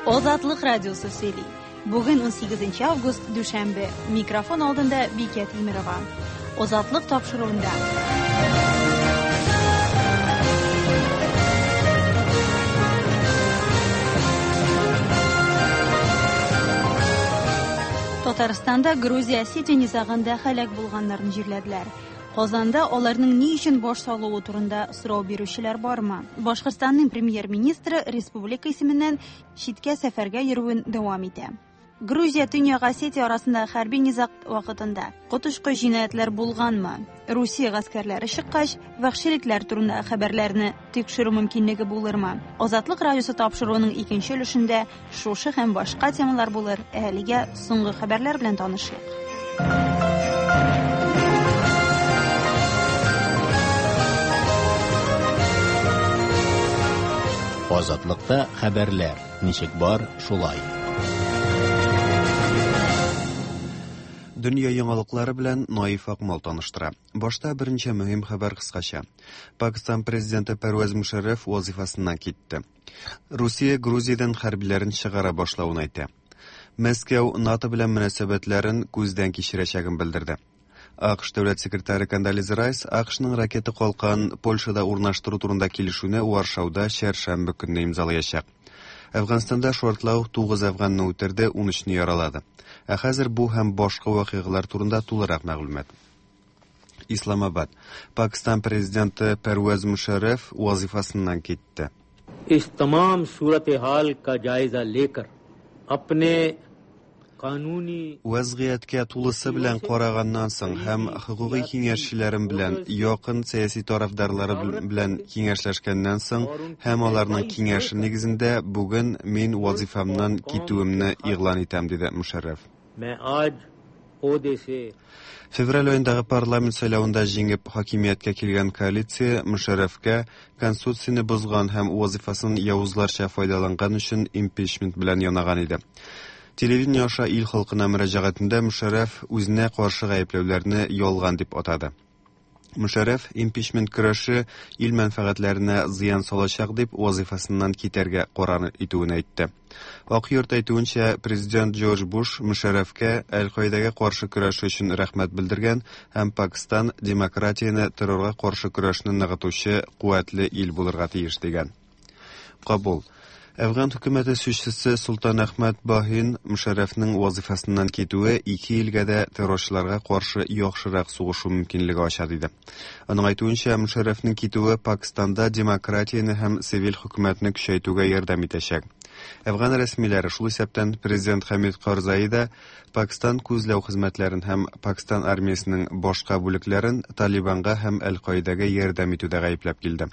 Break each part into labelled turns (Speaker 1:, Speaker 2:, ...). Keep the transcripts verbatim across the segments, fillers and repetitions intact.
Speaker 1: Азатлык радиосы сөйли. Бүген унсигезенче август, дүшәмбе. Микрофон алдында Бикә Тимирова. Азатлык тапшыруында. Татарстанда Грузия Осетия низагында һәлак булганнарны җирләделәр. Казанда аларның ни өчен баш салуы турында сорау бирүчеләр бармы? Башкортстанның премьер-министры республика исеменнән читкә сәфәргә йөрүен дәвам итә. Грузия Төньяк Осетия арасында хәрби низаг вакытында коточкыч җинаятьләр булганмы? Русия гаскәрләре чыккач, вәхшилекләр турында хәбәрләрне тикшерү мөмкинлеге булырмы? Азатлык радиосы тапшыруының икенче өлешендә шушы һәм башка темалар булыр. Әлегә соңгы хәбәрләр белән танышыйк.
Speaker 2: Азатлыкта хәбәрләр ничек бар, шулай.
Speaker 3: Дөнья яңалыклары белән Наиф Акмал таныштыра. Башта берничә мөһим хәбәр кыскача. Пакистан президенты Пәрвәз Мушәррәф вазифасыннан китте. Русия Грузиядән хәрбиләрен чыгара башлавын әйтә. Мәскәү НАТО белән мөнәсәбәтләрен күздән кичерәчәген белдерде. АКШ дәүләт секретаре Кондолиза Райс АКШның ракета калкан Польшада урнаштыру турында килешүне Варшауда чәршәмбе көнне имзалаячак. Әфганстанда шартлау тугыз әфганны үтерде, ун өчне яралады. Ә хәзер бу һәм башка вакыйгалар турында тулырак мәгълүмат. Исламабад. Пакистан президенты Пәрвәз Мушәррәф вазифасыннан китте.
Speaker 4: Ис тамам сурат-и-хал ка जायजा लेकर अपने кануни
Speaker 3: Вәзгыятькә тулысы белән караганнан соң һәм хокукый киңәшчеләрем белән якын сәяси тарафдарлары белән киңәшләшкәннән соң һәм аларның киңәше нигезендә бүген мин вазифамнан китүемне игълан итәм, диде Мушәррәф.
Speaker 4: Мин आज ओहदे से
Speaker 3: Февраль аендагы парламент сайлавында җиңеп хакимияткә килгән коалиция Мушәррәфкә конституцияне бозган һәм вазифасын явызларча файдаланган өчен импичмент белән янаган иде. Телевидение аша ил халкына мөрәҗәгатендә Мушәррәф үзенә каршы гаепләүләрне ялган дип атады. Мушәррәф импичмент көрәше ил мәнфәгатьләренә зыян салачак дип вазифасыннан китәргә карар итүен әйтте. Ак йорт әйтүенчә, президент Джордж Буш Мушәррәфкә Әл-Каидәгә каршы көрәше өчен рәхмәт белдергән һәм Пакистан демократияне террорга каршы көрәшне ныгытучы куәтле ил булырга тиеш дигән. Кабул. Әфган хөкүмәте сүзчесе Султан Әхмәт Баһин Мушәррәфнең вазифасыннан китүе ике илгә дә террорчыларга каршы яхшырак сугышу мөмкинлеге ача диде. Аның әйтүенчә, Мушәррәфнең китүе Пакистанда демократияне һәм цивиль хөкүмәтне көчәйтүгә ярдәм итәчәк. Әфган рәсмиләре, шул исәптән президент Хамид Карзай да Пакистан күзләү хезмәтләрен һәм Пакистан армиясенең башка бүлекләрен Талибанга һәм Әл-Каидәгә ярдәм итүдә гаепләп килде.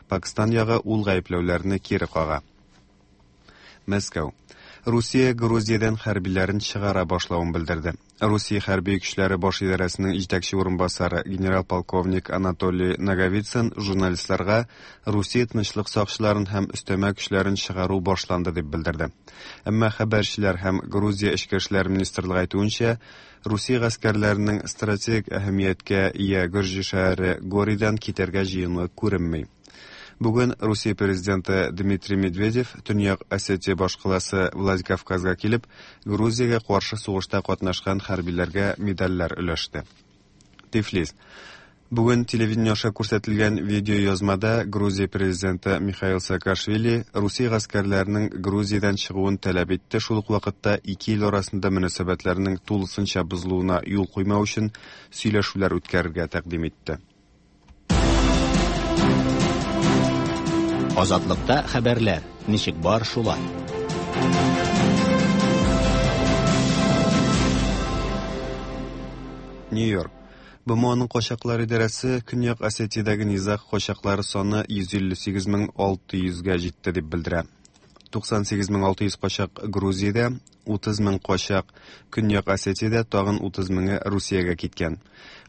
Speaker 3: Пакистан ягы ул гаепләүләрне кире кага. Мәскәү. Русия Грузиядән хәрбиләрен чыгара башлавын белдерде. Русия хәрби көчләре баш идарәсенең җитәкче урынбасары генерал-полковник Анатолий Наговицын журналистларга Русия тынычлык сакчыларын һәм өстәмә көчләрен чыгару башланды дип белдерде. Әмма хәбәрчеләр һәм Грузия эчке эшләр министрлыгы әйтүенчә, Русия гаскәрләренең стратегик әһәмияткә ия Гөрҗи шәһәре Горидан китәргә җыенуы күренми. Бүген Русия президенты Дмитрий Медведев Төньяк Осетия башкаласы Владикавказга килеп, Грузиягә каршы сугышта катнашкан хәрбиләргә медальләр өләште. Тифлис. Бүген телевидение аша күрсәтелгән видеоязмада Грузия президенты Михаил Саакашвили Русия гаскәрләренең Грузиядән чыгуын таләп итте, шул ук вакытта ике ил арасында мөнәсәбәтләрнең тулысынча бозылуына юл куймау өчен сөйләшүләр үткәрергә тәкъдим итте.
Speaker 2: Азатлыкта хәбәрләр ничек бар, шулай.
Speaker 3: Нью-Йорк. БМОның качаклар идарәсе Көньяк Осетиядәге низаг качаклары саны йөз илле сигез мең алты йөзгә җитте дип белдерә. Туксан сигез мең алты йөз качак Грузиядә, утыз мең качак Көньяк Осетиядә, тагын утыз меңе Русиягә киткән.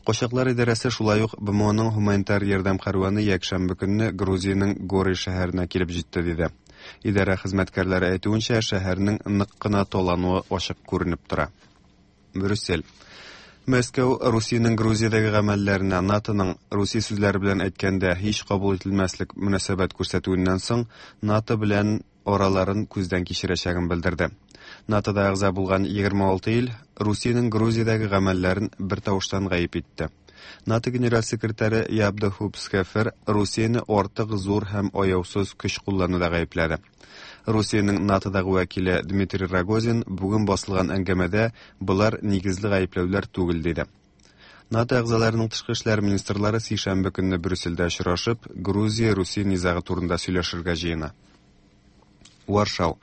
Speaker 3: Качаклар идарәсе шулай ук БМОның гуманитар ярдәм кәрваны якшәмбе көнне Грузиянең Гори шәһәренә килеп җитте диде. Идарә хезмәткәрләре әйтүенчә, шәһәрнең нык кына талануы ачык күренеп тора. Брюссель. Мәскәү Русиянең Грузиядәге гамәлләренә НАТОның Русия сүзләре белән әйткәндә һич кабул ителмәслек мөнәсәбәт күрсәтүеннән соң НАТО белән араларын күздән кичерәчәген белдерде. НАТОда әгъза булган егерме алты ил Русиянең Грузиядәге гамәлләрен бер тавыштан гаеп итте. НАТО генераль секретаре Яп де Хуп Схефер Русияне артык зур һәм аяусыз көч куллануда гаепләде. Русиянең НАТОдагы вәкиле Дмитрий Рогозин бүген басылган әңгәмәдә болар нигезле гаепләүләр түгел диде. НАТО әгъзаларының тышкы эшләр министрлары сишәмбе көнне Брюссельдә очрашып, Грузия-Русия низагы турында сөйләшергә җыена. Варшау.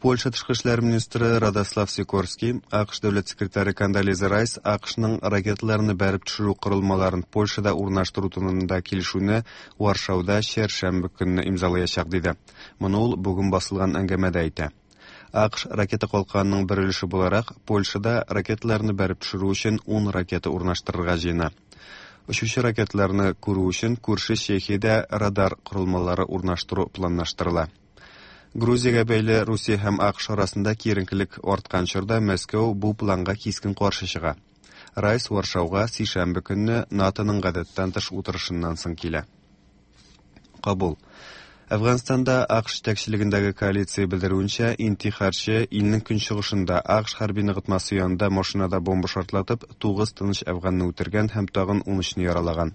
Speaker 3: Польша тышкы эшләр министры Радослав Сикорский, АКШ дәүләт секретаре Кондолиза Райс АКШның ракеталарны бәреп төшерү корылмаларын Польшада урнаштыру турында килешүне Варшауда чәршәмбе көнне имзалаячак диде. Моны ул бүген басылган әңгәмәдә әйтә. АКШ ракета калканының бер өлеше буларак Польшада ракеталарны бәреп төшерү өчен ун ракета урнаштырырга җыена. Очучы ракеталарны күрү өчен күрше Чехиядә радар корылмалары урнаштыру планлаштырыла. Грузиягә бәйле Русия һәм АКШ арасында киеренкелек арткан чорда Мәскәү бу планга кискен каршы чыга. Райс Варшауга сишәмбе көнне НАТОның гадәттән тыш утырышыннан соң килә. Кабул. Әфганстанда АКШ җитәкчелегендәге коалиция белдерүенчә, интихарчы илнең көнчыгышында АКШ хәрби ныгытмасы янында машинада бомба шартлатып, тугыз тыныч әфганны үтергән һәм тагын ун өчне яралаган.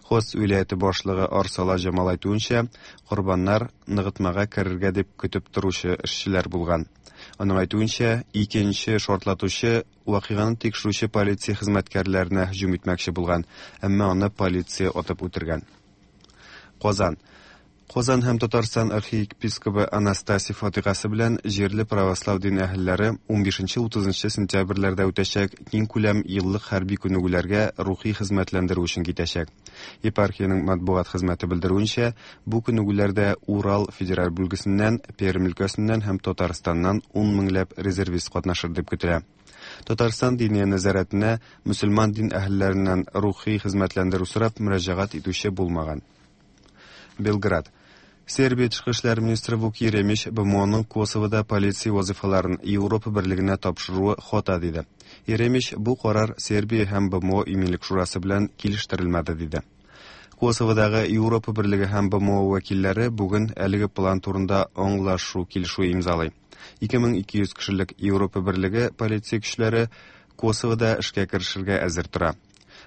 Speaker 3: Хост вилаяте башлыгы Арсала Җамал әйтүенчә, корбаннар ныгытмага керергә дип көтеп торучы эшчеләр булган. Аның әйтүенчә, икенче шартлатучы вакыйганы тикшерүче полиция хезмәткәрләренә һөҗүм итмәкче булган, әмма аны полиция атып үтергән. Казан. Казан һәм Татарстан архиепископы Анастасий фатихасы белән җирле православ дин әһелләре унбишенче утызынчы сентябрьләрдә үтәчәк киң күләм еллык хәрби күнегүләргә рухи хезмәтләндерү өчен китәчәк. Епархиянең матбугат хезмәте белдерүенчә, бу күнегүләрдә Урал федераль бүлгесеннән, Пермь өлкәсеннән һәм Татарстаннан ун меңләп резервист катнашыр дип көтелә. Татарстан диния нәзарәтенә мөселман дин әһелләреннән рухи хезмәтләндерү сорап мөрәҗәгать итүче булмаган. Белград. Сербия тышкы эшләр министры Вук Еремич БМОның Косовода полиция вазифаларын Европа берлегенә тапшыруы хата диде. Еремич бу карар Сербия һәм БМО иминлек шурасы белән килештерелмәде диде. Косоводагы Европа берлеге һәм БМО вәкилләре бүген әлеге план турында аңлашу килешү имзалый. ике мең ике йөз кешелек Европа берлеге полиция көчләре Косовода эшкә керешергә әзер тора.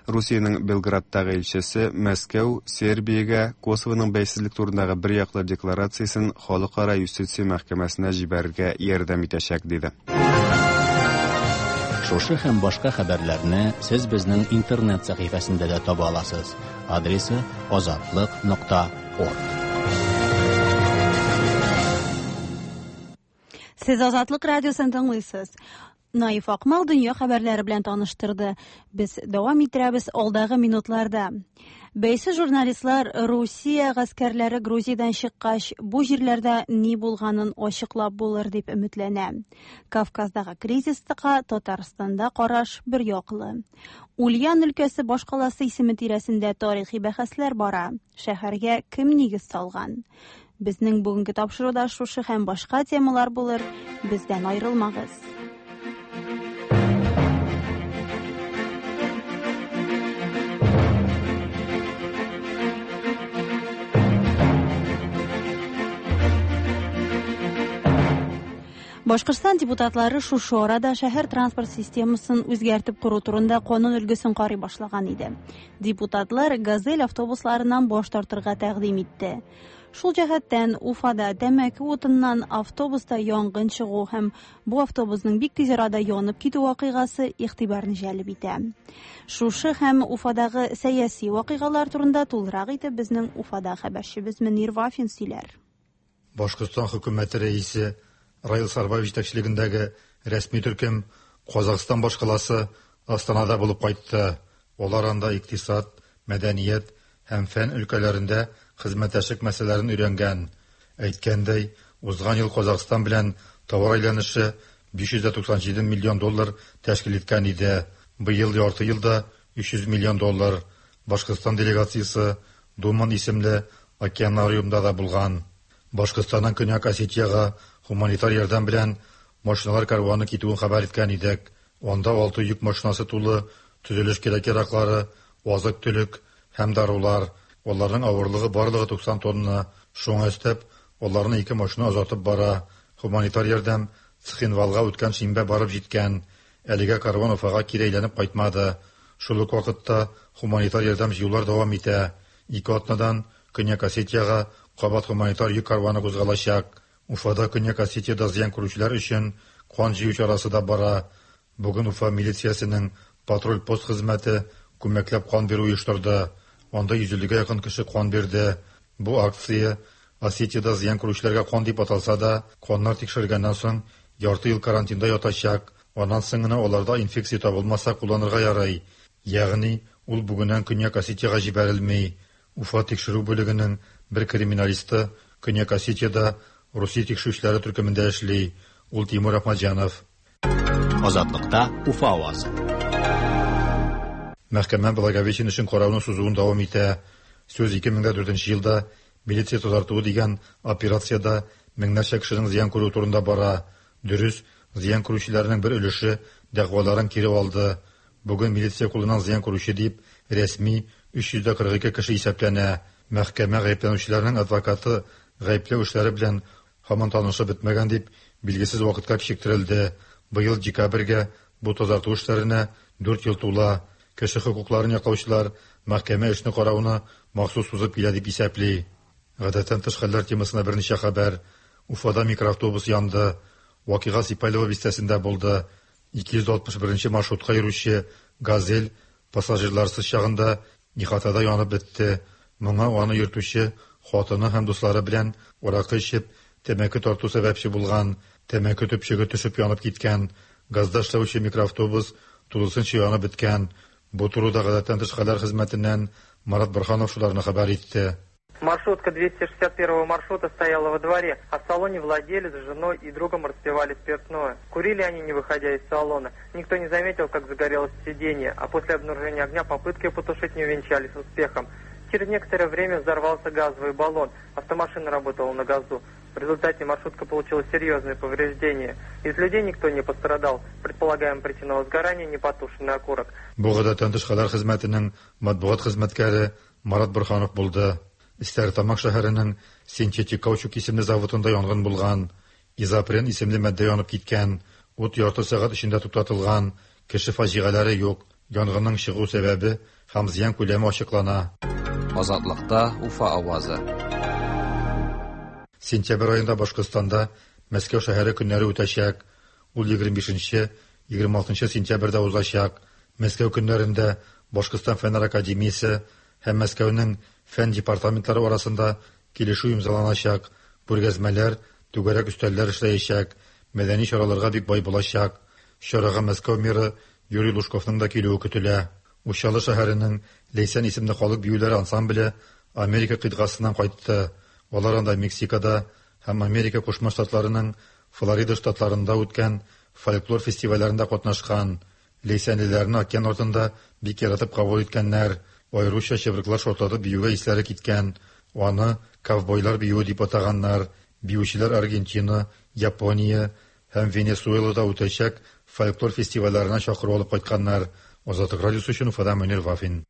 Speaker 3: Русиянең Белградтагы илчесе Мәскәү Сербиягә Косовоның бәйсезлек турындагы бер яклы декларациясен Халыкара юстиция мәхкәмәсенә җибәрергә ярдәм итәчәк диде.
Speaker 2: Шушы һәм башка хәбәрләрне сез безнең интернет сәхифәсендә дә таба аласыз. Адресы азатлык нокта орг.
Speaker 1: Сез Азатлык радиосын тыңлыйсыз. Наиф Акмал дөнья хәбәрләре белән таныштырды. Без дәвам иттерәбез алдагы минутларда. Бәйсез журналистлар Русия гаскәрләре Грузиядән чыккач, бу җирләрдә ни булганын ачыклап булыр дип өметләнә. Кавказдагы кризиска Татарстанда караш бер яклы. Ульян өлкәсе башкаласы исеме тирәсендә тарихи бәхәсләр бара. Шәһәргә кем нигез салган? Безнең бүгенге тапшыруда шушы һәм башка темалар булыр. Бездән аерылмагыз. Башкортстан депутатлары шушы арада шәһәр транспорт системасын үзгәртеп кору турында канун өлгесен карый башлаган иде. Депутатлар «Газель» автобусларыннан баш тартырга тәкъдим итте. Шул җәһәттән Уфада тәмәке утыннан автобуста янгын чыгу һәм бу автобусның бик тиз арада янып китү вакыйгасы игътибарны җәлеп итә. Шушы һәм Уфадагы сәяси вакыйгалар турында тулырак итеп безнең Уфада хәбәрчебез Мөнир Вафин сөйләр.
Speaker 5: Башкортстан хөкүмәте рәисе Раил Сарбаев җитәкчелегендәге рәсми төркем Казахстан башкаласы Астанада булып кайтты. Алар анда икътисад, мәдәният һәм фән өлкәләрендә хезмәттәшлек мәсьәләләрен өйрәнгән. Әйткәндәй, узган ел Казахстан белән товар әйләнеше биш йөз туксан җиде миллион доллар тәшкил иткән иде. Быел ярты елда өч йөз миллион доллар. Башкортстан делегациясе Думан исемле океанариумда да булган. Башкортстаннан Көньяк Осетиягә гуманитар ярдәм белән машиналар карваны китүен хәбәр иткән идек. Анда алты йөк машинасы тулы төзелеш кирәк-яраклары, азык-төлек һәм дарулар. Аларның авырлыгы барлыгы туксан тонна. Шуңа өстәп, Аларны ике машина озатып бара. Гуманитар ярдәм Цхинвалга үткән шимбә барып җиткән. Әлегә карван Уфага кире әйләнеп кайтмады. Шул ук вакытта гуманитар ярдәм җыюлар дәвам итә. Ике атнадан Көньяк Осетиягә кабат гуманитар йөк карваны кузгалачак. Уфада Көньяк Осетиядә зыян күрүчеләр өчен кан җыю чарасы да бара. Бүген Уфа милициясенең патруль пост хезмәте күмәкләп кан бирү оештырды. Анда йөз иллегә якын кеше кан бирде. Бу акция Осетиядә зыян күрүчеләргә кан дип аталса да, каннар тикшергәннән соң ярты ел карантинда ятачак. Аннан соң гына аларда инфекция табылмаса кулланырга ярый. Ягъни ул бүгеннән Көньяк Осетиягә җибәрелми. Уфа тикшерү бүлегенең бер криминалисты Көньяк Осетиядә Русия тикшерүчеләре төркемендә эшли. Ул Тимур Ахмаджанов.
Speaker 2: Азатлыкта Уфа авазы.
Speaker 5: Мәхкәмә Благовещен өчен карауны сузуын дәвам итә. Сүз ике мең дүртенче елда милиция тазартуы дигән операциядә меңнәрчә кешенең зыян күрүе турында бара. Дөрес, зыян күрүчеләрнең бер өлеше дәгъваларын кире алды. Бүген милиция кулыннан зыян күрүче дип рәсми өч йөз кырык ике кеше исәпләнә. Мәхкәмә гаепләнүчеләрнең адвокаты гаепләү эшләре белән һаман танышып бетмәгән дип билгесез вакытка кичектерелде. Быел декабрьгә бу тазарту эшләренә дүрт ел тула. Кеше хокукларын яклаучылар мәхкәмә эшне карауны махсус сузып килә дип исәпли. Гадәттән тыш хәлләр темасына берничә хәбәр. Уфада микроавтобус янды. Вакыйга Сипайлово бистәсендә булды. ике йөз алтмыш беренче маршрутка йөрүче «Газель» пассажирларсыз чагында ихатада янып бетте. Моңа аны йөртүче хатыны һәм дуслары белән аракы эчеп, тәмәке тарту сәбәпче булган. Тәмәке төпчеге төшеп янып киткән. Газда эшләүче микроавтобус тулысынча янып беткән. Бу турыда гадәттән тыш хәлләр хезмәтеннән Марат Бурханов шуларны хәбәр итте.
Speaker 6: Маршрутка двести шестьдесят первого маршрута стояла во дворе, а в салоне владелец с женой и другом распивали спиртное. Курили они, не выходя из салона. Никто не заметил, как загорелось сиденье, а после обнаружения огня попытки потушить не увенчались успехом. Через некоторое время взорвался газовый баллон. Автомашина работала на газу. В результате маршрутка получила серьезные повреждения. Из людей никто не пострадал. Предполагаем, причина возгорания – непотушенный окурок.
Speaker 5: Бу гадәттән тыш хәлләр хезмәтенең матбугат хезмәткәре Марат Бурханов булды. Стәрлетамак шәһәренең синтетик каучук исемле заводында янгын булган. Изопрен исемле матдә янып киткән. Ут ярты сәгать эчендә туктатылган. Кеше фаҗигаләре юк. Янгынның чыгу сәбәбе һәм зыян күләме ачыклана.
Speaker 7: Азатлыкта Уфа авазы.
Speaker 5: Сентябрь аенда Башкортстанда Мәскәү шәһәре көннәре үтәчәк. Ул егерме бишенче, егерме алтынчы сентябрьдә узачак. Мәскәү көннәрендә Башкортстан Фәннәр академиясе һәм Мәскәүнең фән департаментлары арасында килешү имзаланачак. Күргәзмәләр, түгәрәк өстәлләр эшләячәк, мәдәни чараларга бик бай булачак. Чарага Мәскәү мэры Юрий Лужковның да килүе көтелә. Учалы шәһәренең Ләйсән исемле халык биюләре ансамбле Америка кыйтгасыннан кайтты. Алар анда Мексикада һәм Америка Кушма Штатларының Флорида штатларында үткән фольклор фестивальләрендә катнашкан. Ләйсәнлеләрне океан артында бик яратып кабул иткәннәр. Аеруча чыбыркылар шартлатып биюгә исләре киткән. Аны ковбойлар биюе дип атаганнар. Биючеләр Аргентина, Япония һәм Венесуэлада үтәчәк фольклор фестивальләренә чакыру алып кайтканнар. Азатлык радиосы өчен Уфадан Мөнир Вафин.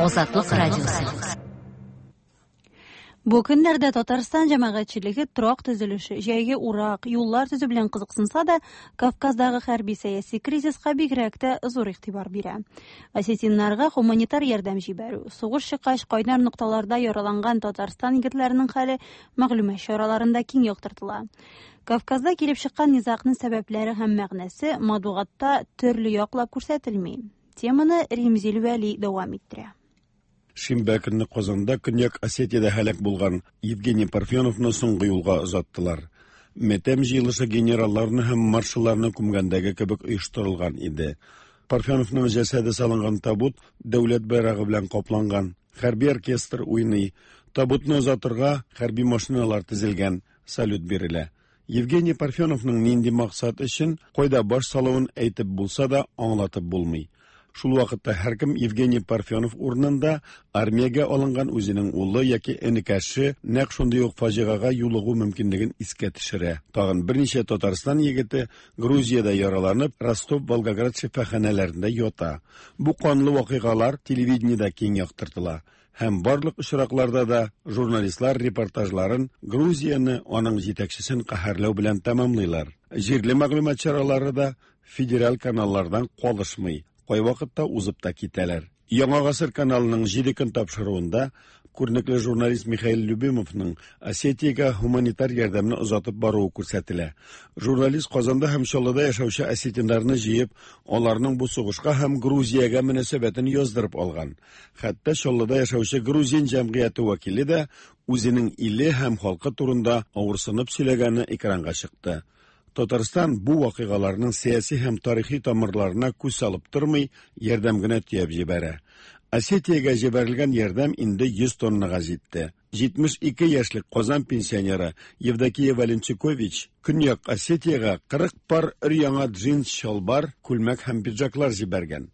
Speaker 8: Азатлык радиосы.
Speaker 1: Бу көннәрдә Татарстан җәмәгатьчелеге торак төзелеше, җәйге урак, юллар төзү белән кызыксынса да, Кавказдагы хәрби сәяси кризиска бигрәк тә зур игътибар бирә. Осетиннарга гуманитар ярдәм җибәрү, сугыш чыккач кайнар нокталарда яраланган Татарстан егетләренең хәле мәгълүмат чараларында киң яктыртыла. Кавказда килеп чыккан низагның сәбәпләре һәм мәгънәсе матбугатта төрле яклап күрсәтелми. Теманы Римзил Вәли дәвам иттерә.
Speaker 9: Шимбә көнне Казанда Көньяк Осетиядә һәлак булган Евгений Парфеновны соңгы юлга озаттылар. Метем җыелышы генералларны һәм маршалларны күмгәндәге кебек оештырылган иде. Парфеновның җәсәде салынган табут дәүләт байрагы белән капланган. Хәрби оркестр уйный. Табутны озатырга хәрби машиналар тезелгән, салют бирелә. Евгений Парфеновның нинди максат өчен кайда баш салуын әйтеп булса да аңлатып булмый. Шул вакытта һәркем Евгений Парфенов урынында армиягә алынган үзенең улы яки энекәше нәкъ шундый ук фаҗигагә юлыгу мөмкинлеген искә төшерә. Тагын берничә Татарстан егете Грузиядә яраланып, Ростов, Волгоград шифаханәләрендә ята. Бу канлы вакыйгалар телевидениедә киң яктыртыла. Һәм барлык очракларда да журналистлар репортажларын Грузияне, аның җитәкчесен каһәрләү белән тәмамлыйлар. Җирле мәгълүмат чаралары да федераль каналлардан калышмый, кайвакытта узып та китәләр. Яңа гасыр каналының җиде көн тапшыруында күренекле журналист Михаил Любимовның Осетиягә гуманитар ярдәмне озатып баруы күрсәтелә. Журналист Казанда һәм Чаллыда яшәүче осетиннарны җыеп, аларның бу сугышка һәм Грузиягә мөнәсәбәтен яздырып алган. Хәтта Чаллыда яшәүче грузин җәмгыяте вәкиле дә үзенең иле һәм халкы турында авырсынып сөйләгәне экранга чыкты. Татарстан бу вакыйгаларның сәяси һәм тарихи тамырларына күз салып тормый, ярдәм генә төяп җибәрә. Осетиягә җибәрелгән ярдәм инде йөз тоннага җитте. җитмеш ике яшьлек Казан пенсионеры Евдокия Валенчукович Көньяк Осетиягә кырык пар өр-яңа джинс чалбар, күлмәк һәм пиджаклар җибәргән.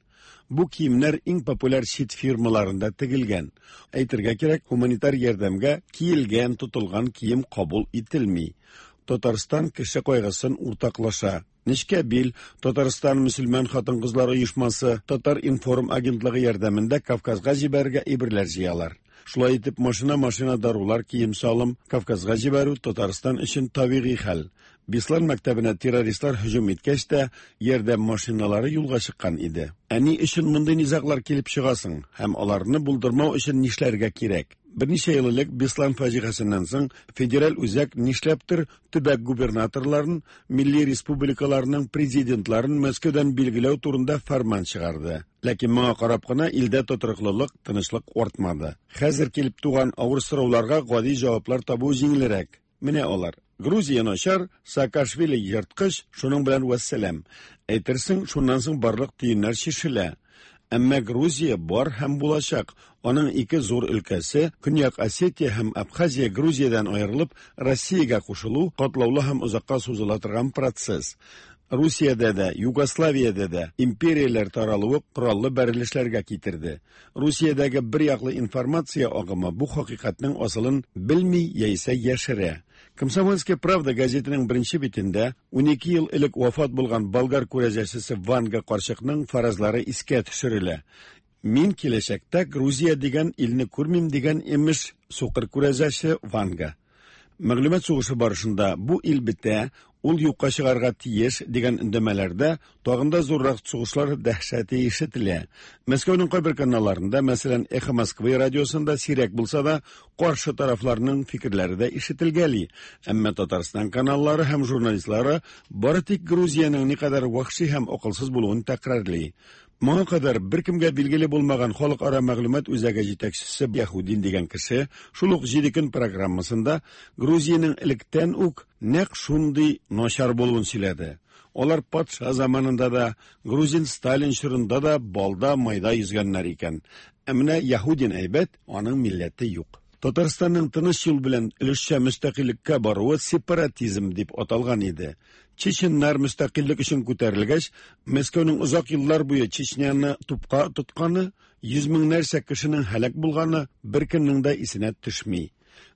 Speaker 9: Бу киемнәр иң популяр чит фирмаларында тегелгән. Әйтергә кирәк, гуманитар ярдәмгә киелгән, тотылган кием кабул ителми. Татарстан кеше кайгысын уртаклаша. Нечкә бил, Татарстан мөселман хатын-кызлар оешмасы, Татар информ агентлыгы ярдәмендә Кавказга җибәрергә әйберләр җыялар. Шулай итеп, машина-машина дарулар, кием-салым Кавказга җибәрү Татарстан өчен табигый хәл. Беслан мәктәбенә террористлар һөҗүм иткәч тә, ярдәм машиналары юлга чыккан иде. Ә ни өчен мондый низаглар килеп чыгасың һәм аларны булдырмау өчен нишләргә кирәк? Берничә ел элек Беслан фаҗигасын соң федераль үзәк нишләптер төбәк губернаторларын, милли республикаларның президентларын Мәскәүдән билгеләү турында фәрман чыгарды. Ләкин моңа карап кына илдә тотрыклылык, тынычлык артмады. Хәзер килеп туган авыр сорауларга гади җаваплар табу җиңелрәк. Менә алар. Грузия начар, Саакашвили ерткыч, шуның белән вәссәлам. Әйтерсең, шуннан соң барлык төеннәр чишелә. Әмма Грузия бар һәм булачак. Аның ике зур өлкәсе, Көньяк Осетия һәм Абхазия Грузиядән аерылып, Россиягә кушылу катлаулы һәм озакка сузыла торган процесс. Русиядә дә, Югославиядә дә империяләр таралуы кораллы бәрелешләргә китерде. Русиядәге бер яклы информация агымы бу хакыйкатьнең асылын белми яисә яшерә. Комсомольская правда газетының беренче битендә унике ел элек вафат булган болгар күрәзәчесе Ванга карчыкның фаразлары искә төшерелә. Мин киләчәктә Грузия дигән илне күрмим дигән имеш сукыр күрәзәче Ванга. Мәгълүмат сугышы барышында бу ил бетә, ул юкка чыгарга тиеш дигән өндәмәләрдә тагын да зуррак сугышлар дәһшәте ишетелә. Мәскәүнең кайбер каналларында, мәсәлән, Эхо Москвы радиосында сирәк булса да, каршы тарафларның фикерләре дә ишетелгәли. Әмма Татарстан каналлары һәм журналистлары бары тик Грузиянең никадәр вәхши һәм акылсыз булуын тәкрарлый. Моңа кадәр беркемгә билгеле булмаган халыкара мәгълүмат үзәге җитәкчесе Яһудин дигән кеше шул ук җиде көн программасында Грузиянең электән үк нәкъ шундый начар булуын сөйләде. Алар патша заманында да, грузин Сталин чорында да балда майда йөзгәннәр икән. Ә менә Яһудин әйбәт, аның милләте юк. Татарстанның тыныч юл белән өлешчә мөстәкыйльлеккә баруы сепаратизм дип аталган иде. Чеченнар мөстәкыйльлек өчен күтәрелгәч, Мәскәүнең озак еллар буе Чечняны тупка тотканы, йөз меңнәрчә кешенең һәлак булганы беркемнең дә исенә төшми.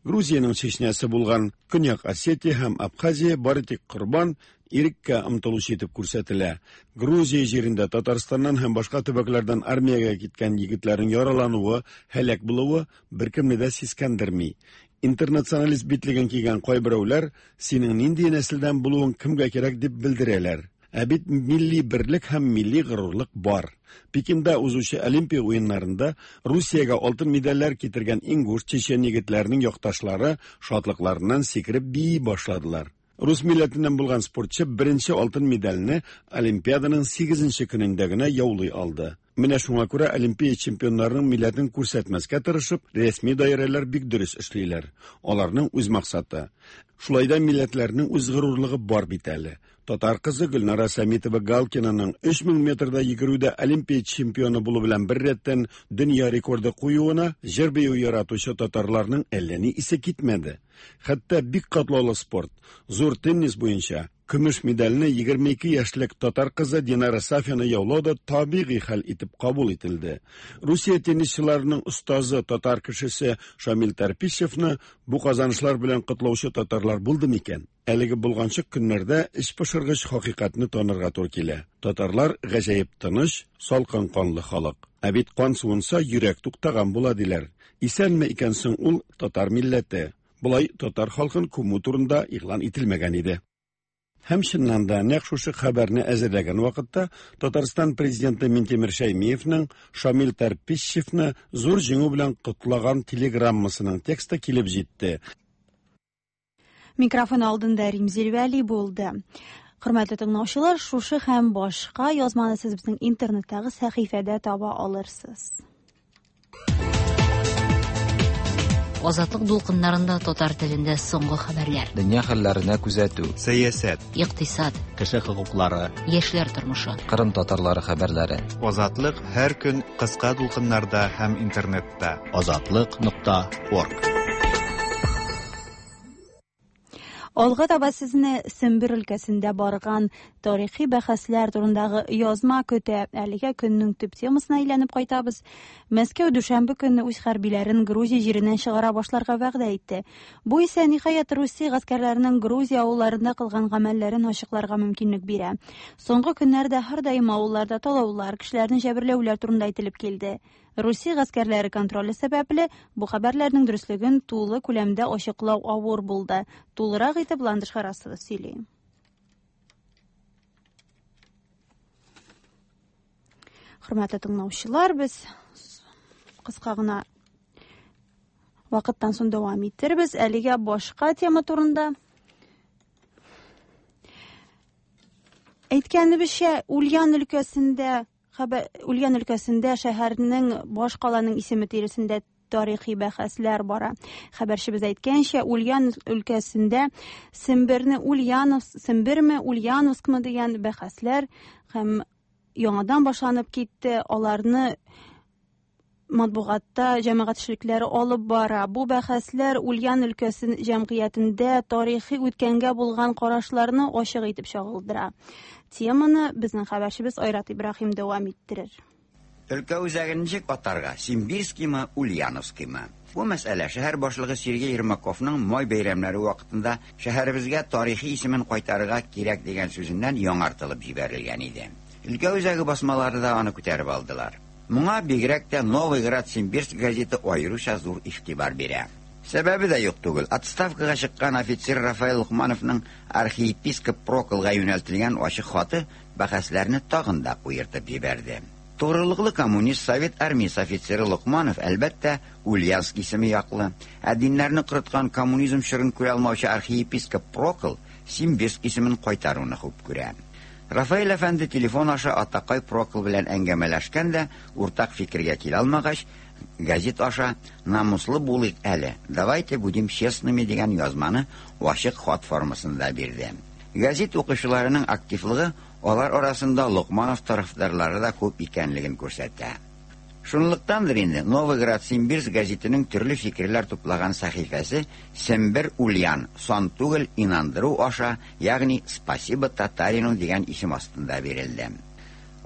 Speaker 9: Грузиянең Чечнясы булган Көньяк Осетия һәм Абхазия бары тик корбан, иреккә омтылучы итеп күрсәтелә. Грузия җирендә Татарстаннан һәм башка төбәкләрдән армиягә киткән егетләрнең яралануы, һәлак булуы беркемне дә сискәндерми. Интернационалист битлеген кигән кайберәүләр синең нинди нәселдән булуың кемгә кирәк дип белдерәләр. Ә бит милли берлек һәм милли горурлык бар. Пекинда узучы Олимпия уеннарында Русиягә алтын медальләр китергән ингуш, чечен егетләренең якташлары шатлыкларыннан сикереп бии башладылар. Рус милләтеннән булган спортчы беренче алтын медальне Олимпиаданың сигезенче көнендә генә яулый алды. Менә шуңа күрә Олимпия чемпионнарының милләтен күрсәтмәскә тырышып, рәсми даирәләр бик дөрес эшлиләр. Аларның үз максаты. Шулай да милләтләрнең үз горурлыгы бар бит әле. Татар кызы Гөлнара Сәмитова Галкинаның өч мең метрда йөгерүдә Олимпия чемпионы булу белән бер рәттән дөнья рекорды куюына җыр бию яратучы татарларның әллә ни исе китмәде. Хәтта бик катлаулы спорт, зур теннис буенча Көмеш медальне егерме ике яшьлек татар кызы Динара Сафина яулау да табигый хәл итеп кабул ителде. Русия теннисчыларының остазы татар кешесе Шамил Тарпищевны бу казанышлар белән котлаучы татарлар булды микән? Әлеге булганчык көннәрдә эчпошыргыч хакыйкатьне танырга туры килә. Татарлар гаҗәеп тыныч, салкын канлы халык. Ә бит кан суынса йөрәк туктаган була диләр. Исәнме икән соң ул татар милләте? Болай татар халкын күмү турында игълан ителмәгән иде. Һәм чыннан да нәкъ шушы хәбәрне әзерләгән вакытта Татарстан президенты Минтимер Шәймиевның Шамил Тарпищевны зур җиңү белән котлаган телеграммасының тексты килеп җитте.
Speaker 1: Микрофон алдында Римзил Вәли булды. Хөрмәтле тыңлаучылар, шушы һәм башка язманы сез безнең интернеттагы сәхифәдә таба алырсыз.
Speaker 8: Азатлык дулкыннарында татар телендә соңгы хәбәрләр.
Speaker 7: Дөнья хәлләренә күзәтү,
Speaker 3: сәясәт,
Speaker 8: икътисад,
Speaker 2: кеше хокуклары,
Speaker 8: яшьләр тормышы,
Speaker 7: Кырым татарлары хәбәрләре.
Speaker 3: Азатлык һәр көн кыска дулкыннарда һәм интернетта.
Speaker 2: Азатлык нокта орг.
Speaker 1: Алга таба сезне Сембер өлкәсендә барган тарихи бәхәсләр турындагы язма көтә. Әлегә көннең төп темасына әйләнеп кайтабыз. Мәскәү дүшәмбе көнне үз хәрбиләрен Грузия җиреннән чыгара башларга вәгъдә итте. Бу исә ниһаять Русия гаскәрләренең Грузия авылларында кылган гамәлләрен ачыкларга мөмкинлек бирә. Соңгы көннәрдә һәрдаим авылларда талаулар, кешеләрне җәберләүләр турында әйтелеп килде. Русия гаскәрләре контроле сәбәпле бу хәбәрләрнең дөреслеген тулы күләмдә ачыклау авыр булды. Тулырак итеп Ландыш Харасова сөйли. Хөрмәтле тыңлаучылар, без кыска гына вакыттан соң дәвам итербез. Әлегә башка тема турында. Әйткәнебезчә, Ульян өлкәсендә Ульян өлкәсендә шәһәрнең башкаланың исеме тирәсендә тарихи бәхәсләр бара. Хәбәрчебез әйткәнчә, Ульян өлкәсендә Семберне Ульяновск, Семберме Ульяновскмы дигән бәхәсләр һәм яңадан башланып китте. Аларны матбугатта җәмәгать эшлекләре алып бара. Бу бәхәсләр Ульян өлкәсе җәмгыятендә тарихи үткәнгә булган карашларны ачык итеп чагылдыра. Теманы безнең хәбәрчебез Айрат Ибраһим дәвам иттерер.
Speaker 10: Өлкә үзәген ничек атарга? Симбирскиймы, Ульяновскиймы? Бу мәсьәлә шәһәр башлыгы Сергей Ермаковның май бәйрәмнәре вакытында шәһәребезгә тарихи исемен кайтарырга кирәк дигән сүзеннән яңартылып җибәрелгән иде. Өлкә үзәге басмалары да аны күтәреп алдылар. Моңа бигрәк тә Новый Град Симбирск газеты аеруча зур игътибар бирә. Сәбәбе дә юк түгел. Отставкага чыккан офицер Рафаэль Лукмановның архиепископ Проклга юнәлтелгән ачык хаты бәхәсләрне тагын да куертып җибәрде. Тугрылыклы коммунист Совет армиясе офицеры Лукманов әлбәттә Ульяновск исеме яклы. Ә диннәрне корыткан коммунизм чорын күрә алмаучы архиепископ Прокл Симбирск исемен кайтаруны хуп күрә. Рафаэль әфәнде телефон аша атакай Прокл белән әңгәмәләшкән дә уртак фикергә килә алмагач, газет аша «Намуслы булыйк әле, давайте будем честными» дигән язманы ачык хат формасында бирде. Газет укучыларының активлыгы алар арасында Лукманов тарафдарлары да күп икәнлеген күрсәтә. Шунлыктандыр инде Новый Град Симбирск газетының төрле фикерләр туплаган сәхифәсе Сембер Ульян сан түгел инандыру аша, ягъни «Спасибо татарину» дигән исем астында бирелде.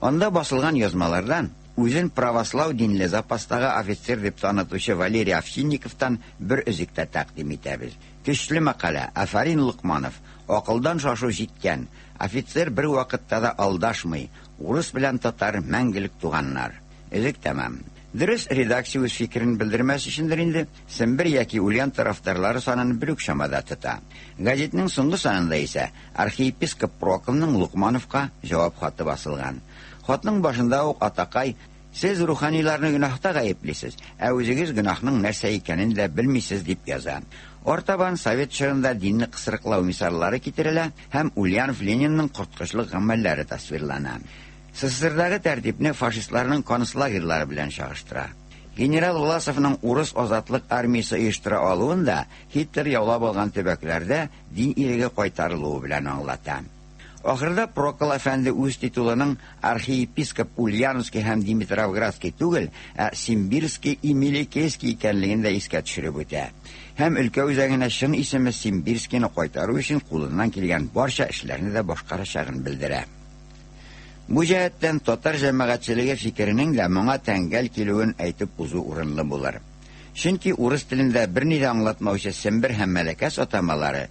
Speaker 10: Анда басылган язмалардан үзен православ динле запастагы офицер дип танытучы Валерий Овчинниковтан бер өзек тә тәкъдим итәбез. Көчле мәкалә, афәрин Лукманов, акылдан шашу җиткән, офицер бер вакытта да алдашмый, урыс белән татар мәңгелек туганнар. Өзек тәмам. Дөрес, редакция үз фикерен белдермәс өчендер инде Сембер яки Ульян тарафдарлары санын бер үк чамада тота. Газетның соңгы санында исә архиепископ Проклның Лукмановка җавап хаты басылган. Хатның башында ук атакай: «Сез руханиларны гөнаһта гаеплисез, ә үзегез гөнаһның нәрсә икәнен дә белмисез» дип яза. Артабан совет чорында динне кысрыклау мисаллары китерелә һәм Ульянов Ленинның корткычлык гамәлләре тасвирлана. СССРдагы тәртипне фашистларның концлагерьлары белән чагыштыра. Генерал Власовның урыс азатлык армиясе оештыра алуын да Һитлер яулап алган төбәкләрдә дин иреге кайтарылуы белән аңлата. Ахырда Прокол әфәнде үз титулының архиепископ Ульяновский һәм Димитровградский түгел, ә Симбирский и Мелекесский икәнлеген дә искә төшереп үтә. Һәм өлкә үзәгенә чын исеме Симбирскийны кайтару өчен кулыннан килгән барча эшләрне дә башкарачагын белдерә. Бу җәһәттән татар җәмәгатьчелеге фикеренең дә моңа тәңгәл килүен әйтеп узу урынлы булыр. Чөнки урыс телендә берни дә аңлатмаучы Сембер һәм Мәләкәс атамалары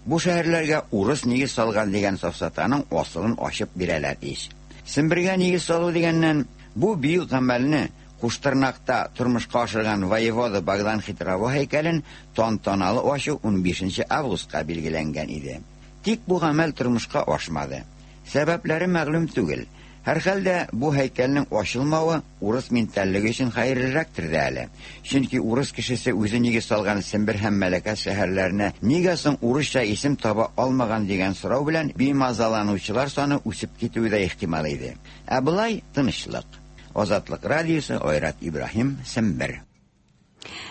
Speaker 10: бу шәһәрләргә урыс нигез салган дигән сафсатаның асылын ачып бирәләр ич. Сембергә нигез салу дигәннән бу бөек гамәлне Куштырнакта тормышка ашырган воевода Богдан Хитрово һәйкәлен тантаналы ачу унбишенче августка билгеләнгән иде. Тик бу гамәл тормышка ашмады. Сәбәпләре мәгълүм түгел. Һәр хәлдә бу һәйкәлнең ачылмавы урыс ментальлеге өчен хәерлерәктер дә әле. Чөнки урыс кешесе үзе нигез салган Сембер һәм Мәләкәс шәһәрләренә нигә соң урысча исем таба алмаган дигән сорау белән бимазаланучылар саны үсеп китүе дә ихтимал иде. Ә болай тынычлык. Азатлык радиосы, Айрат Ибраһим, Сембер.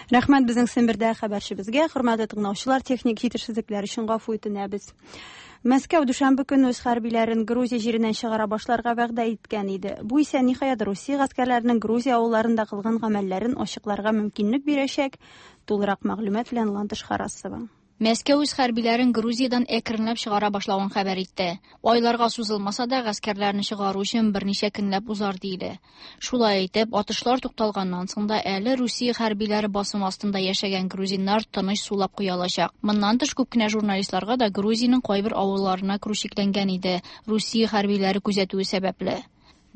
Speaker 1: Рәхмәт безнең Сембердә хәбәрчебезгә. Хөрмәтле тыңлаучылар, техник җитешсезлекләр өчен гафу үтенәбез. Мәскәү дүшәмбе көне үз хәрбиләрен Грузия җиреннән чыгара башларга вәгъдә иткән иде. Бу исә ниһаять Русия гаскәрләренең Грузия авылларында кылган гамәлләрен ачыкларга мөмкинлек бирәчәк. Тулырак мәгълүмат белән Ландыш Харасова.
Speaker 11: Мәскәү үз хәрбиләрен Грузиядан әкренләп чыгара башлавын хәбәр итте. Айларга сузылмаса да гаскәрләрне чыгару өчен берничә көнләп узар диелә. Шулай итеп, атышлар тукталганнан соң да әле Русия хәрбиләре басым астында яшәгән грузиннар тыныч сулап куя алачак. Моннан тыш күп кенә журналистларга да Грузиянең кайбер авылларына керү чикләнгән иде, Русия хәрбиләре күзәтүе сәбәпле.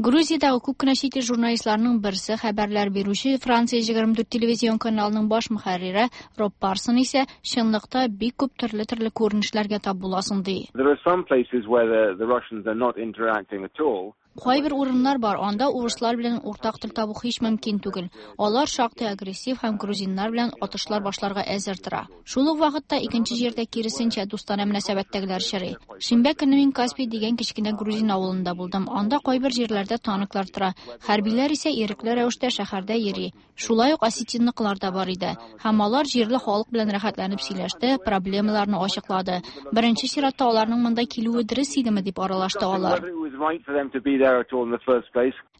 Speaker 11: Грузиядагы күп кенә чит ил журналистларының берсе хәбәрләр бирүче Франция егерме дүрт телевизион каналының баш мөхәррире Роб Парсон исә чынлыкта бик күп төрле-төрле күренешләргә тап буласың ди.
Speaker 12: There are some places where the, the Russians are not interacting at all.
Speaker 11: Кайбер урыннар бар, анда урыслар белән уртак тел табу һич мөмкин түгел. Алар шактый агрессив һәм грузиннар белән атышлар башларга әзер тора. Шул ук вакытта икенче җирдә киресенчә дустанә мөнәсәбәттәгеләр очрый. Шимбә көне мин Каспий дигән кечкенә грузин авылында булдым. Анда кайбер җирләрдә танклар тора. Хәрбиләр исә ирекле рәвештә шәһәрдә йөри. Шулай ук осетинныкылар да бар иде. Һәм алар җирле халык белән рәхәтләнеп сөйләште, проблемаларны ачыклады. Беренче чиратта аларның монда килүе дөрес идеме дип аралашты алар.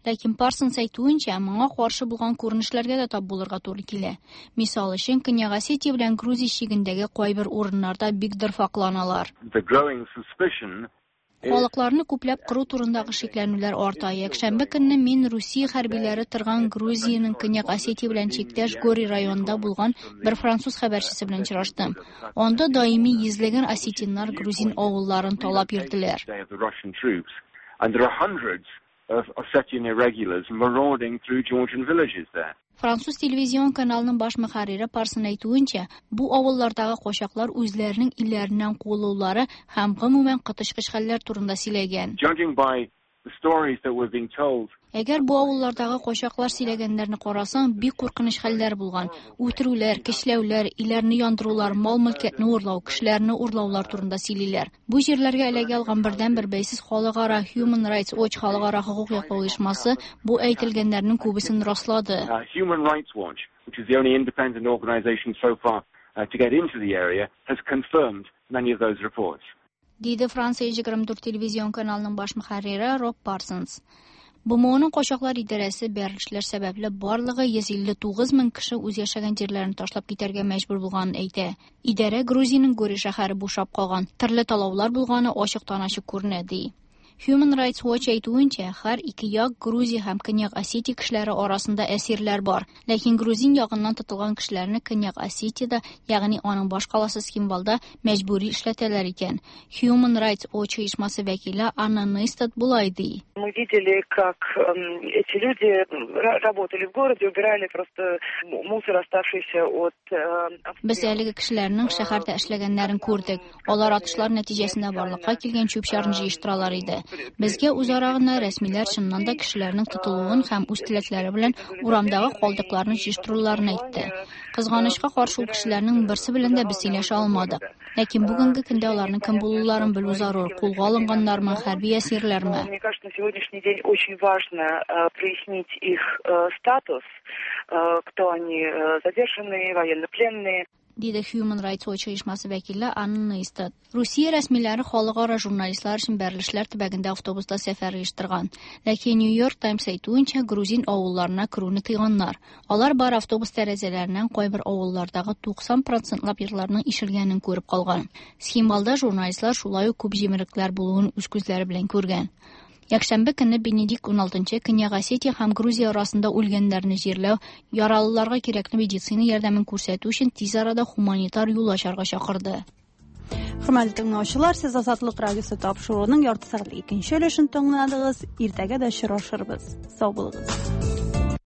Speaker 11: Ләкин Парсонс әйтүенчә, моңа каршы булган күренешләргә дә тап булырга туры килә. Мисал өчен, Көньяк Осетия белән Грузия чигендәге кайбер урыннарда бик дырфакланалар. Халыкларны күпләп кыру турындагы шикләнүләр арта. Якшәмбе көнне мин Русия хәрбиләре торган Грузиянең Көньяк Осетия белән чиктәш Гори районында булган бер француз хәбәрчесе белән очраштым. Анда даими йөзләгән осетиннар грузин авылларын талап йөрделәр.
Speaker 12: And there are hundreds of Ossetian irregulars marauding through Georgian villages there.
Speaker 11: Француз телевизион каналының баш мөхәррире Парсон әйтүенчә, бу авыллардагы качаклар үзләренең илләреннән куылулары һәм гомумән коточкыч хәлләр турында сөйләгән.
Speaker 12: Judging by the stories that were being told,
Speaker 11: Әгәр бу авыллардагы качаклар сөйләгәннәрне карасаң, бик куркыныч хәлләр булган. Үтерүләр, көчләүләр, өйләрне яндырулар, мал-мөлкәтне урлау, кешеләрне урлаулар турында сөйлиләр. Бу җирләргә эләгә алган бердәнбер бәйсез халыкара Human Rights Watch халыкара хокук яклау оешмасы бу әйтелгәннәрнең күбесен раслады.
Speaker 12: Human Rights Watch, which is the only independent organization so far to get into the area, has confirmed many of those reports.
Speaker 11: Диде Франция егерме дүрт телевизион каналының баш мөхәррире Роб Парсонс. БМОның качаклар идарәсе бәрелешләр сәбәпле барлыгы йөз илле тугыз мең кеше үз яшәгән җирләрен ташлап китәргә мәҗбүр булганын әйтә. Идарә Грузиянең Гори шәһәре бушап калган, төрле талаулар булганы ачыктан-ачык күренә ди. Human Rights Watch әйтүенчә, һәр ике як Грузия һәм Көньяк Осетия кешеләре арасында әсирләр бар. Ләкин грузин ягыннан тотылган кешеләрне Көньяк Осетиядә, ягъни аның баш каласы Цхинвалда мәҗбүри эшләтәләр икән. Human Rights Watch оешмасы вәкиле Анна Нейстад болай ди.
Speaker 13: Мы видели, как эти люди работали в городе, убирали просто мусор, оставшийся от.
Speaker 11: Без әлеге кешеләрнең шәһәрдә эшләгәннәрен күрдек. Алар атышлар нәтиҗәсендә барлыкка килгән чүп-чарны җыештыралар иде. Безгә үзара гына рәсмиләр чыннан да кешеләрнең тотылуын һәм үз теләкләре белән урамдагы калдыкларны җыештыруларын әйтте. Кызганычка каршы ул кешеләрнең берсе белән дә без сөйләшә алмадык. Ләкин бүгенге көндә аларның кем булуларын белү зарур. Кулга алынганнармы, хәрби әсирләрме?
Speaker 13: Мне кажется, на сегодняшний день очень важно прояснить их статус, кто они, задержанные, военнопленные.
Speaker 11: диде Human Rights Watch оешмасы вәкиле Анна Нейстад. Русия рәсмиләре халыкара журналистлар өчен бәрелешләр төбәгендә автобуста сәфәр оештырган. Ләкин New York Times әйтүенчә, грузин авылларына керүне тыйганнар. Алар бар автобус тәрәзәләреннән кайбер авыллардагы туксан процентлап йортларның ишелгәнен күреп калган. Схимвалда журналистлар шулай ук күп җимерекләр булуын үз күзләре белән күргән. Якшәмбе көнне Бенедикт уналтынчы Көньяк Осетия һәм Грузия арасында үлгәннәрне җирләү, яралыларга кирәкле медицина ярдәмен күрсәтү өчен тиз арада гуманитар юл ачарга чакырды.
Speaker 1: Хөрмәтле тыңлаучылар, сез Азатлык радиосы тапшыруының ярты сәгатьлек икенче өлешен тыңладыгыз. Иртәгә дә очрашырбыз. Сау булыгыз.